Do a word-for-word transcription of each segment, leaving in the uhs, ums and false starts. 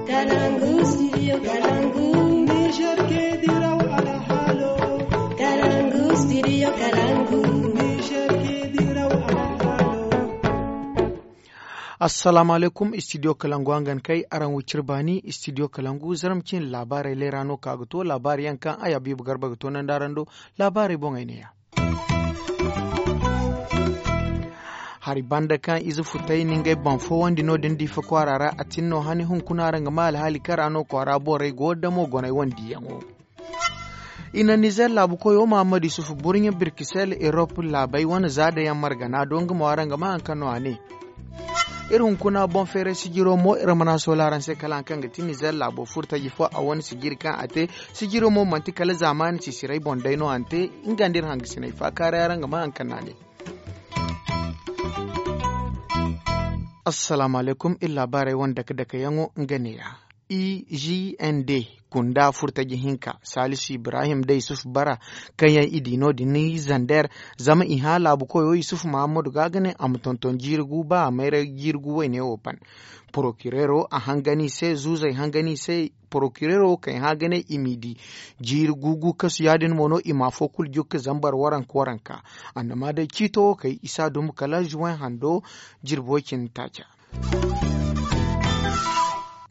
Kalangu, studio Kalangu. Niger ke diraw alhalo. Kalangu, studio Kalangu. Niger ke diraw alhalo. Assalamu alaikum, studio Kalangu, hangan kay araŋ wicir baani. Studio Kalangu, zaram cin laabaarey leera no ka ga to laabaari yaŋ kaŋ ay Habiibu Garba ga to nandi araŋ do. Laabaarey boŋey ne ya. Hari banda kaŋ ize futay na ngey boŋ fowandi no-din diifa kwaara ra a tin no hani hunkuna ra nga ma alhaali kara no kwaara borey go damo goney wane diyaŋo. I na nizer laabu koyo mahammadu yusufu burɲe birkisel erop laabey wane zaadayaŋ margana do nga mo araŋ ga ma haŋ kaŋ no a ne. Iri hunkuna boŋ feeray sijiro mo iri mana sola araŋ se kala haŋ kaŋ ga ti nizer laabo furtaji fo a wane sijiri kaŋ a te. Sijiro mo manti kala zaamaani sisirey boŋ day no a na te. Nga nda iri hangasiney faakaaray araŋ ga ma haŋ kaŋ no a ne. Assalaamu alaykum iri laabaarey wane dake-dake yaŋo nga neeya. I g n d kunda furtaji hinka salisu ibrahim da yusuf bara kaŋ yaŋ i di no-din zander. Zama i hã laabu koyo yusuf mahammadu ga ga ne a ma tonton jiiri gu ba a mayray jiiri gu wayne wo ban. Porokirero a hangan i se zuuzey hangan i se. Porokirero kay hã ga ne i m'i di jiiri gu gu kasu ya-din mo no i ma afo kulu jukka zambar waranka waranka. Annama day ciito wo kay i si a dumbu kala zuwen hando. Jirbo cindi taaca.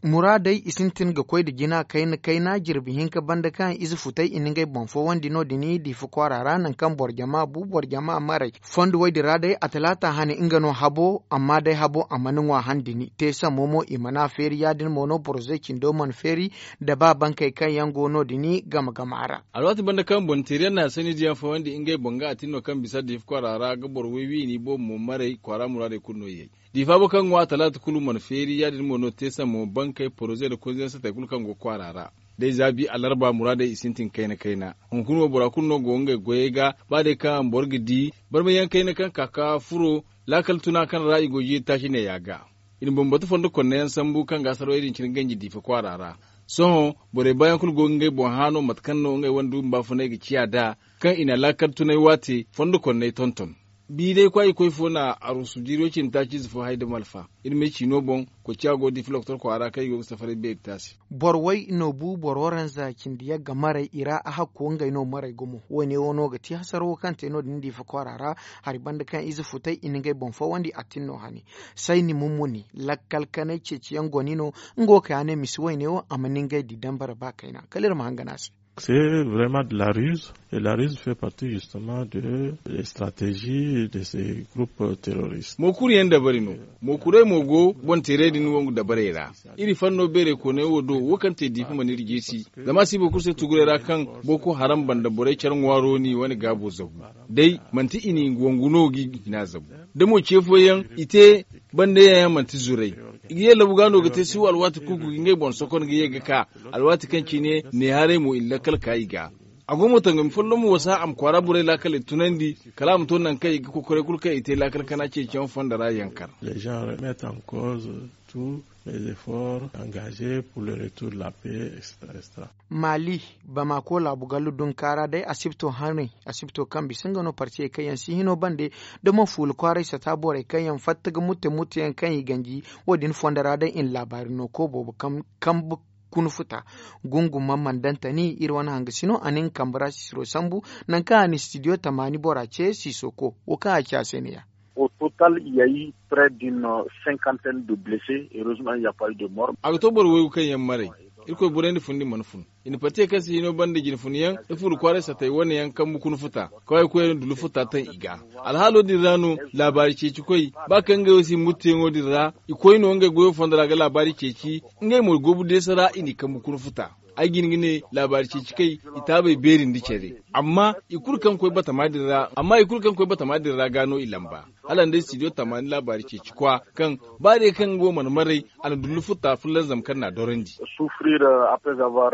Muraadey i sintin ga koy nda jina kayna kayna jirbi hinka banda kaŋ ize futey i na ngey boŋ fowandi no-din diifa kwaara ra nangu kaŋ boro jama bu boro jama maray. Fondo woy din ra day a talaata hane nga no habo amma day habo a mana ŋwa han dini te sammo mo i mana feeri ya-din mo no boroze cindo mana feeri. Da ba bankey kaŋ yaŋ go no-din game game a ra. Alwaati banda kaŋ boŋ teeri yaŋ na sanni diyaŋ fowandi ngey boŋ ga a tin no kaŋ bisa diifa kwaara ra ga boro woy wiini boobo mo maray kwaara muraadey kulu no yay. Diifa bo kaŋ ŋwa talaata kulu mana feeri ya-din mo no te sammo bankey poroze nda konze yaŋ satey kulu kaŋ go kwaara ra. Day zaabi alarba muraadey i sintin kayna kayna. Hunkuna wo bora kulu no go ngey goyey ga. Ba day kaŋ boro ga di barmayaŋ kayna kaŋ ka ka furo laakal tuna kaŋ ra i go jiiri taaci neeya ga. I na bambata fondo konneyaŋ sambu kaŋ ga sarawey din cine ganji diifa kwaara ra. Sohõ borey baayaŋ kulu go ga ngey boŋ hã no mate kaŋ no ngey wane duumi baafunay ga ciya nd'a kaŋ i na laakal tunay waate fondo konney tonton. Biiday kwaayi koy fo na arusu jiiro cindi taaciize fo hay da malfa. Iri ma ay ciino boŋ koy ciya go da i filoktor kwaara kaŋ i go ga safaray beeri taasi. Boro way no bu boro waranza cindi yagga maray i ra a hakko ngey no maray gumo wo- ne wo no ga ti hasaro wo kaŋ te no- din diifa kwaara ra. Hari banda kaŋ ize futay i na ngey boŋ fawandi a tin no hane. Sayni mummuni lakkal kanay ceeciyaŋ goni no. Nga wo kay a ne misi wayne wo a ma ni ngey di dambara ba kayna kala iri ma hangan a se. C'est vraiment de la ruse et la ruse fait partie justement de les stratégies de ces groupes terroristes. Mookuriyaŋ dabari no. Mookuray mo go boŋ teeray din wongu dabarey ra. Iri fanno beeray koonay wo do wo kaŋ te diifa mana iri jeesi. Zama a si boro kulu se tuguray ra kaŋ boko haram banda borey care ŋwaaro n'i wane gaabo zabu. Day manti i n'i wangu no g'i hina zabu. Da mo ce fooyaŋ i te banda yaŋ yaŋ manti zuray. I ga ye labu ga no ga te siwa alwaati kulu ga ngey boŋ sokon ga ye ga ka. Alwaati kaŋ cine ne haray mo i na lakkal ka i ga. A go mo tangami folloŋ mo wasa a ma kwaara borey laakaley tunandi. Kala a ma to nangu kaŋ i ga kokoray kulu kaŋ i te laakal kana ceeciyaŋ fonda ra yankar. Les gens remettent en cause tous les efforts engagés pour le retour de la paix, et cetera. Maali, bamako laabu gallu dunkaara day asibto haney asibto kaŋ bisa nga no partiyey kaŋ yaŋ si hino bande. Da mo fuula kwaaray sata borey kaŋ yaŋ fatta ga mutte mutte yaŋ kaŋ i ganji. Wo- din fondo ra day i na laabaari no ko boobo kambu kuna futa. Gunguma mandantani iri wane hanga sino a na nga kambe ra sisiro sambu. Nangu kaŋ a na studio tamaani bora ce siso ko wo kaŋ a ci a se ne ya. Au total il ya eu près d'une cinquantaine de blessés heureusement il ya pas eu de mort. A ga to boro waygu kaŋ yaŋ maray. Irkoy borey nda fundi mana fun i na pate kaŋ si hino banda jine fun yaŋ da furu kwaaray satay wane yaŋ kambu kuna futa. Kaway koy yaŋ dulu futa taŋ i ga. Alhaalo din ra no laabaari ceeci koy ba kaŋ ngey wo si mutteyaŋo din ra. I koy no ngey goyo fondo ra ga laabaari ceeci. Ngey mo goobu deesa ra i n'i kambu kuna futa. Ay ga hin ga ne laabaari ceeci kay i taabay beeri nda care. Amma i kulu kaŋ koy batama din ra amma i kulu kaŋ koy batama din ra ga no i lamba. Hala nda studio tamaani laabaari ceeci kwa kaŋ ba day kaŋ nga wo mana maray. A na dullu futta fullaŋ zama kaŋ n'a dorandi. Souffrir après avoir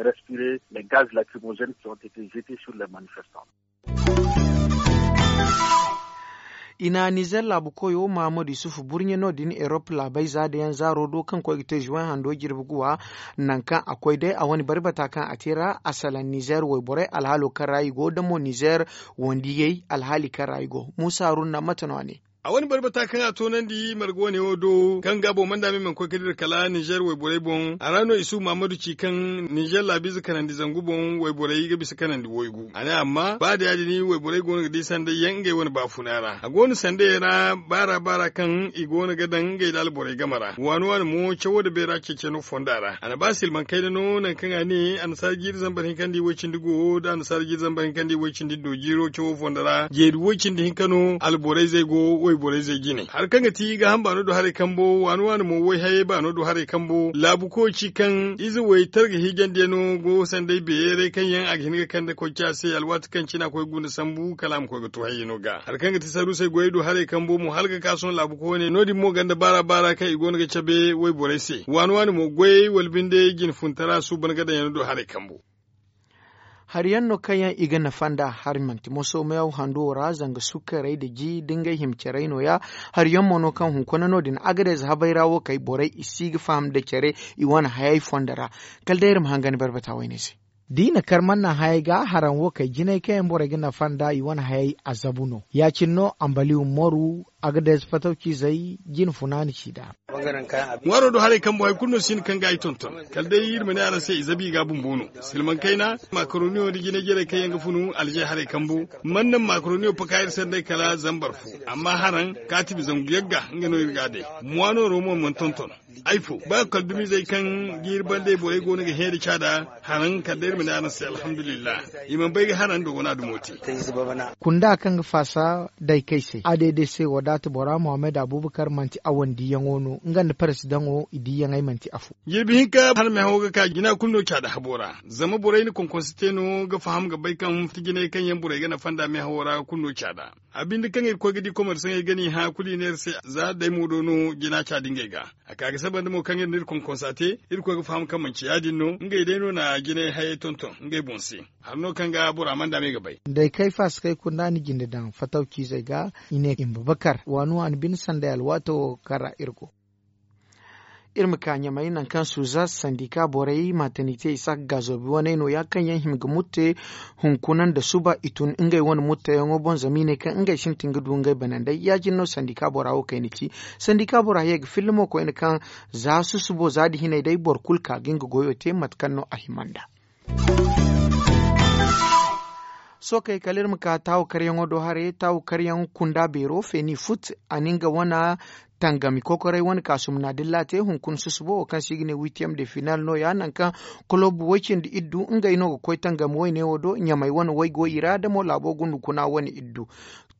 respiré les gaz lacrymogènes qui ont été jetés sur les manifestants. I na nizer laabu koyo mahamadu yusufu burɲe no- din erop laabey za da yaŋ zaaro do kaŋ koy ga te zuwen hando jirbi guwa. Nangu kaŋ a koy day a wane barbata kaŋ a te ra a salaŋ nizer wayborey alhaalo kaŋ ra i go da mo nizer wandiyey alhaali kaŋ ra i go. Muusa haruna mate no a ne. A wane barbata kaŋ a toonandi marga wane wo do kaŋ ga boŋ manda me mana koy ga dira kala ninzeer wayborey boŋ a ra no isuhu mahammadu ci kaŋ ninzeer laabiize kanandi zangu boŋ wayborey ga bisa kanandi waygu a ne amma ba da ya- din wayborey go no ga di sanday yaŋ ngey wane baafuna ra a go no sanday yaŋ ra baara baara kaŋ i go no ga daŋ ngey nda alborey game ra waani waani mo cawo nda beera ceeci no fonda ra a na ba silmaŋ kayna no nangu kaŋ a ne annasaara jiiri zambar hinka nda i way-cindi go nda annasaara jiiri zambar hinka nda i way-cindi do jiiro cawo fonda ra jeeri way-cindi hinka no alborey zey go wayborey zey jine hari kaŋ ga ti gaaham baano do haray kambo waani waani mo way-hayey baano do haray kambo laabu koy ci kaŋ ize way targa hiijandi yaŋ no go sanday beeray kaŋ yaŋ a ga hin ga kande koy ci a se alwaati kaŋ cine a koy ga guna sambu kala a ma koy ga to hayey no ga hari kaŋ ga ti saruusey goyey do haray kambo mo hala ga ka sohõ laabu koy wane no- din mo ganda baara baara kaŋ i go no ga cabe wayborey se waani waani mo goyey wala binde jine funtara suuban ga daŋ yaŋ no do haray kambo. Hari yaŋ no kaŋ yaŋ i ga nafa nd'a hari manti moso meew hando ra zanga sukkarey nda ji nda ngey hima carey no- ya. Hari yaŋ mo no kaŋ hunkuna no- din agadez habay ra wo kay borey i si ga faham nda care i wane hayey fondo ra. Kala day iri ma hangan barbata wayne se. Da i na kar manna hayey ga haraŋ wo kay jinay kaŋ yaŋ borey ga nafa nd'a i wane hayey a zabu no ya- cine no ambaliw moru agadez fatawcizey jine funaani ci nd'a. Ŋwaaro do haray kambo hari kulu no si hin kaŋ ga ay tonton kala day iri ma ne araŋ se i zabi i ga bumbo no silmaŋ kayna makaroniyo nda jinay jarey kaŋ yaŋ ga funu alze haray kambo man naŋ makaroniyo paka iri se nda ay kala zambar fo amma haraŋ kaatibi zangu yagga nga no iri ga a day. Ŋwaanooro mo mana tonton ay fo ba kala dumizey kaŋ ga iri banda ay borey go no ga heeri caada haraŋ kala day iri ma ne araŋ se alhamdulillahi. I mana bay ga haraŋ dogo no a dumo te. Kunda kaŋ ga faasa daykey se a deede se wadaata bora muhammad abubakar manti a wane diiyaŋo no nga nda parasidaŋo i diiyaŋey manti afo. Jirbi hinka har meehawo ga ka jina kulu no caada habo ra zama borey na konkonse te no ga faham ga bay kaŋ jinay kaŋ yaŋ borey ga nafa nda meehawo ra kulu no caada. A binde kaŋ iri koy ga di komersaŋey ga no i hã kulu i ne iri se za day mo do no jina caada ngey ga. A ka ga saba nda mo kaŋ iri na iri konkonsa te iri koy ga faham kaŋ manci ya- din no ngey day no na jinay hayey tonton ngey boŋ se. Hari no kaŋ ga bora mana daama i ga bay. Day kay faasa kay kunda ni jinde daŋ fatawciizey ga i ne i ma bakar waani waani bine sanday alwaato kaŋ ra iri go. Iri ma ka ɲamay nangu kaŋ suuza sandika borey matanite isaak gaazobi waney no- ya kaŋ yaŋ hima ga mutte hunkuna nda suba i tun ngey wane mutteyaŋo boŋ zama i ne kaŋ ngey sintin ga du ngey banandey ya- din no sandika bora wo kayna ci. Sandika bora ye ga filla mo koyne kaŋ za susubo za nda hinay day boro kulu ka ga nga goyo te mate kaŋ no a hima nd'a. Sookey kala iri ma ka taawu karyaŋo do haray taawu karyaŋ kunda beero feeni fut a na nga wane tangami kokoray wane kaasumna dilla te hunkuna susubo wo kaŋ se i ga ne witiyem de final no- ya nangu kaŋ kolob way-cindi iddu ngey no ga koy tangami wayne wo do ɲamay wane waygoy i ra da mo laabo gundu kuna wane iddu.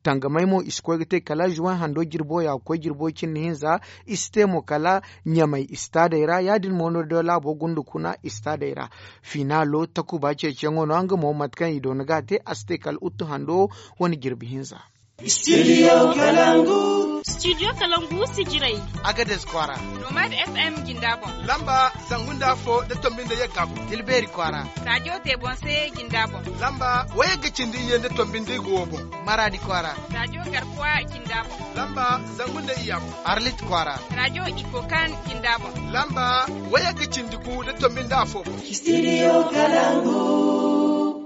Tangamey mo i si koy ga te kala zuwan hando jirbo ya ga koy jirbo cindi hinza. I si te mo kala ɲamey istaadey ra ya- din mo no da laabo gundu kuna istaadey ra. Finaalo takuba ceeciyaŋo no nga mo mate kaŋ i doona ga a te a si te kala uttu hando wane jirbi hinza. Studio kalangu. Studio kalangu sijiray. Agades kwaara. Nomad fm jinda boŋ. Lamba zangu nda afo da tombi nda yagga boŋ. Tilbeeri kwaara. Rajo tebonse jinda boŋ. Lamba wayagga cindi iyye nda tombi nda igo wo boŋ. Maraadi kwaara. Rajo garkuwa jinda boŋ. Lamba zangu nda iyya boŋ. Arlit kwaara. Rajo ikokan jinda boŋ. Lamba wayagga cindi gu da tombi nda afo boŋ. Studio kalangu.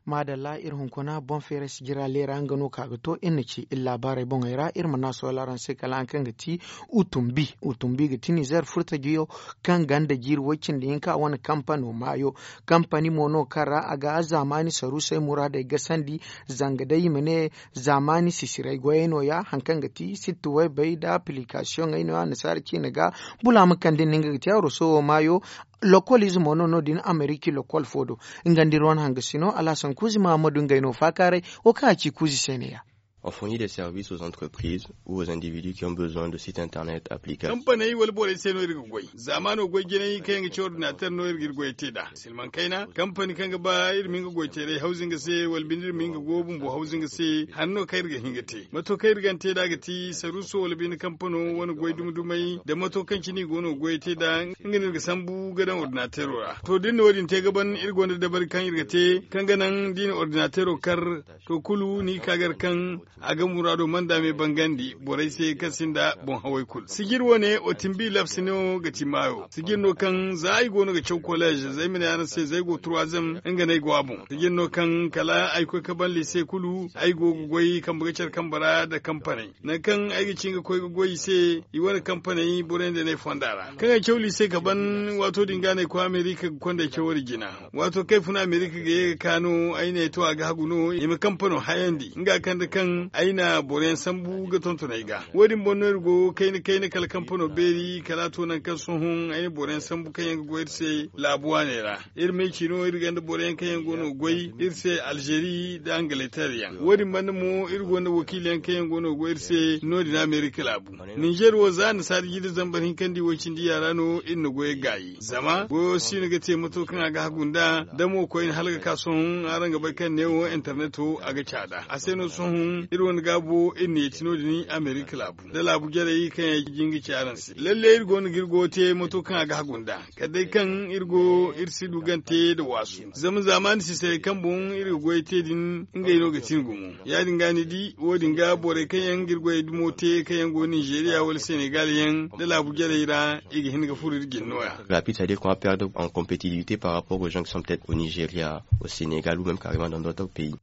Maadalla iri hunkuna boŋ feeray sijira leera nga no ka ga to iri na ci iri laabaarey boŋey ra iri ma naasoo laaraŋ se kala haŋ kaŋ ga ti utumbi. Utumbi ga ti nizeer furtajiyo kaŋ ganda jiiri woy cindi hinka wane kampano maayo. Kampani mo no kaŋ ra a ga zaamaani saruusey muraadey gasandi. Zanga day i ma ne zaamaani sisiray goyey no- ya haŋ kaŋ ga ti sitti waybey nda apilikasiyoŋey no- ya annasaara ciine ga. Bula ma kande nda nga ga ti a roso wo maayo. Lokol ize mo no no- din ameriki lokol fo do. Nga nda iri wane hangasino alhasan kuuzi mahammadu ngey no faakaaray. Wo kaŋ a ci kuuzi se ne- ya. On fournit des services aux entreprises ou aux individus qui ont besoin de sites internet applicatifs. Kampaney wala borey se no iri ga goy zaamaano goy jinay kaŋ yaŋ ga ci ordinateer no iri ga iri goyey te nd'a. Silmaŋ kayna kampani kaŋ ga ba iri ma hin ga goyteeray hawzu nga se wala binde iri ma hin ga go bumbo hawzu nga se. Hari no kaŋ iri ga hin ga te mato kaŋ iri ga ni te nd'a ga ti saruuso wala binde kampano wane goy dumi dumey nda mato kaŋ cine i go no ga goyey te nd'a. Nga no iri ga sambu ga daŋ ordinateero ra to da iri na wo- din te ga ban iri gonda dabari kaŋ iri ga te kaŋ ga naŋ da i na ordinateero kar. To kulu ni ga ka gar kaŋ A ga muraado manda me bangandi borey se kaŋ sinda boŋ hawey kulu sijir wane otimbi labsi no ga ti maayo sijir no kaŋ za ay go no ga caw kolleez zay ma ne araŋ se zay go turwazem nga no ay go a boŋ sijir no kaŋ kala ay koy ka ban lise kulu ay go ga goy kambe ga care kambe ra nda kampaney nangu kaŋ ay ga ci nga koy ga goy i se i wane kampaney borey nda ne fonda ra kaŋ ay caw lise ka ban waato din ga no ay koy amerika ga kondey caw wo- din jina. Waato kaŋ ay fun amerika ga ye ga ka no ay ne to a ga hagu no i ma kampano hayandi nga kande kaŋ ay na boro yaŋ sambu ga tonton ay ga wo- din boŋ no iri go kayna kayna kala kampano beeri kala a to nangu kaŋ sohõ ay na boro yaŋ sambu kaŋ yaŋ ga goy iri se laabu waaney ra. Iri ma ay ci no iri gonda boro yaŋ kaŋ yaŋ go no ga goy iri se alzeeri nda angaleter yaŋ wo- din banda mo iri gonda wakiili yaŋ kaŋ yaŋ go no ga goy iri se no- din amerika laabu. Ninzeer wo za annasaara jiiri zambar hinkandi woy cindi yaŋ ra no iri na goyey gaayi zama goyo si no ga te mato kaŋ a ga hagu nd'a da mo koyne hala ga ka sohõ araŋ ga bay kaŋ neewo interneto a ga caada a se no sohõ iri wane gaabo iri na yeeti no- din amerika laabu nda laabu jarey kaŋ yaŋ jin ga ci araŋ se lalle iri go no ga iri goyo te mato kaŋ a ga hagu nd'a kala day kaŋ iri go iri si du gante nda waasu zama zaamaani sisaray kaŋ boŋ iri ga goyey te din ngey no ga ti ni gumo. Ya- din ga ni di wo- din ga borey kaŋ yaŋ ga iri goyey dumo te kaŋ yaŋ go ninzeeriya wala senegal yaŋ nda laabu jarey ra i ga hin ga furo iri jine no- ya. Rapide c'est à dire qu'on va perdre en compétitivité par rapport aux gens qui sont peut-être au nigeria, au sénégal ou même carrément dans d'autres pays.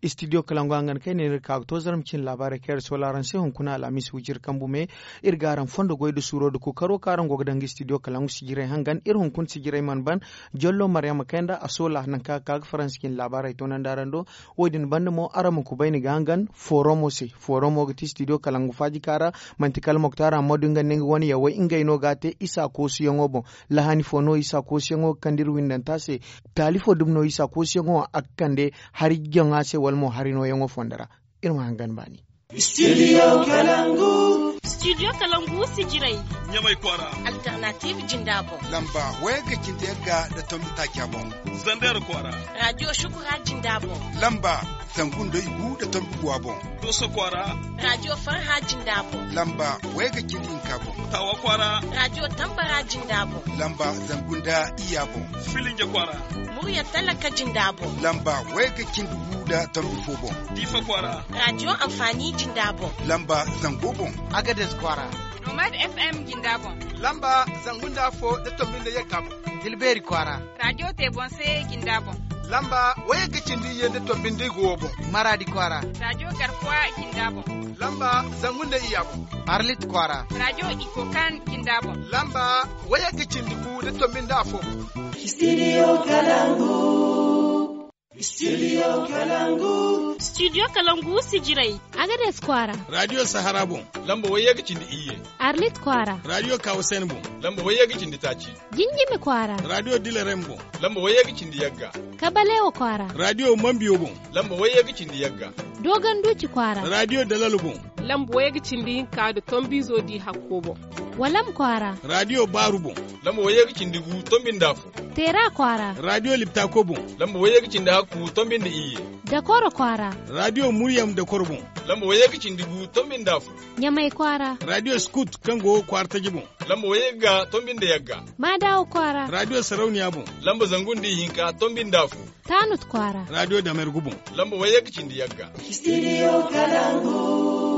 Studio kalangu hangan kaŋ ay ne iri ka ga to zarma cine laabaarey kaŋ iri soola araŋ se hunkuna alhamis wujir kambu me. Iri ga araŋ fondo goy nda suuro nda kookaro kaŋ araŋ go ga daŋ ga studio kalangu sijiray hangan iri hunkuna sijiray mana ban. Jollo maryama kayanda a soola nangu kaŋ a ga ka ga faransa cine laabaarey toonandi araŋ do. Wo- din banda mo araŋ ma kubay ni ga hangan fooromo se. Fooromo ga ti studio kalangu faaji kaŋ ra manti kala moktar hammadu nga nda nga wane yawey ngey no ga a te isa koosiyaŋo boŋ. Lahani fo no isa koosiyaŋo ga kande iri windanta se. Taali fo dumi no isa koosiyaŋo a ga kande hari jaŋa se wala mo hari nooyaŋo fondo ra. Iri ma hangan baani. Studio kalangu. Studio kalangu sijiray. Ɲamay kwaara. Alternative jinda boŋ. Lamba waya ga cindi yagga nda tombi taaca boŋ. Zander kwaara. Radio shukura jinda boŋ. Lamba zangu nda igu nda tombi guwa boŋ. Doso kwaara. Radio farha jinda boŋ. Lamba waya ga cindi hinka boŋ. Tawa kwaara. Radio tambara jinda boŋ. Lamba zangu nda iyya boŋ. Filinja kwaara. Murya talaka jinda boŋ. Lamba waya ga cindi gu nda tombi fo boŋ. Diifa kwaara. Radio anfaani jinda boŋ. Lamba zango boŋ. Agades kwaara. Nomad fm jinda boŋ. Lamba zangu nda afo nda tombi nda yagga boŋ. Tilbeeri kwaara. Radio te boŋ se jinda boŋ. Lamba waya ga cindi iyye nda tombi nda igu wo boŋ. Maraadi kwaara. Radio garkuwa jinda boŋ. Lamba zangu nda iyya boŋ. Arlit kwaara. Radio ikokan jinda boŋ. Lamba waya ga cindi gu nda tombi nda afo boŋ. Studio kalangu. Studio kalangu. Studio kalangu sijiray. Agades kwaara. Radio sahara boŋ. Lamba waya ga cindi iyye. Arlit kwaara. Radio kawasen boŋ. Lamba waya ga cindi taaci. Jinjimi kwaara. Radio dilarem boŋ. Lamba waya ga cindi yagga. Kabalewa kwaara. Radio mambiyo boŋ. Lamba waya ga cindi yagga. Dogon duci kwaara. Radio dalalo boŋ. Lamba waya ga cindi hinka nda tombizo di hakko boŋ. Walam kwaara. Radio baaru boŋ. Lamba waya ga cindi gu tombi nda afo. Teera kwaara. Radio liptako boŋ. Lamba waya ga cindi hakku tombi nda iyye. Dakoro kwaara. Radio muryam dakoro boŋ. Lamba waya ga cindi gu tombi nda afo. Ɲamay kwaara. Radio skut kaŋ go kwaara taji boŋ. Lamba wayagga tombi nda yagga. Maadawa kwaara. Radio sarauniya boŋ. Lamba zangu nda ihinka tombi nda afo. Taanut kwaara. Radio damergu boŋ. Lamba wayagga cindi yagga. Studio kalangu.